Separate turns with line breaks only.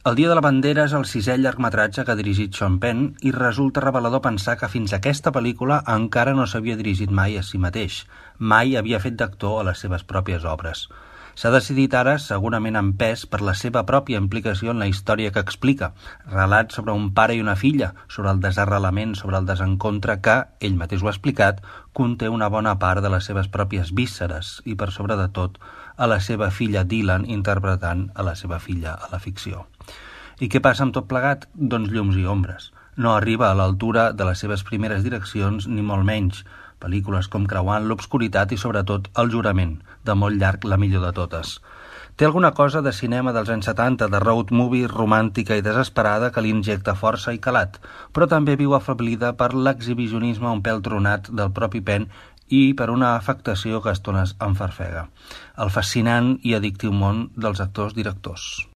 El dia de la bandera és el 6è llargmetratge que ha dirigit Sean Penn i resulta revelador pensar que fins a aquesta pel·lícula encara no s'havia dirigit mai a si mateix, mai havia fet d'actor a les seves pròpies obres. S'ha decidit ara, segurament en pes, per la seva pròpia implicació en la història que explica, relat sobre un pare i una filla, sobre el desarrelament, sobre el desencontre que, ell mateix ho ha explicat, conté una bona part de les seves pròpies vísceres i, per sobre de tot, a la seva filla Dylan interpretant a la seva filla a la ficció. I què passa amb tot plegat? Doncs llums i ombres. No arriba a l'altura de les seves primeres direccions, ni molt menys. Pel·lícules com Creuant l'obscuritat i, sobretot, El jurament, de molt llarg la millor de totes. Té alguna cosa de cinema dels anys 70, de road movie romàntica i desesperada que li injecta força i calat, però també viu afeblida per l'exhibicionisme un pèl tronat del propi Penn i per una afectació que a estones enfarfega. El fascinant i addictiu món dels actors-directors.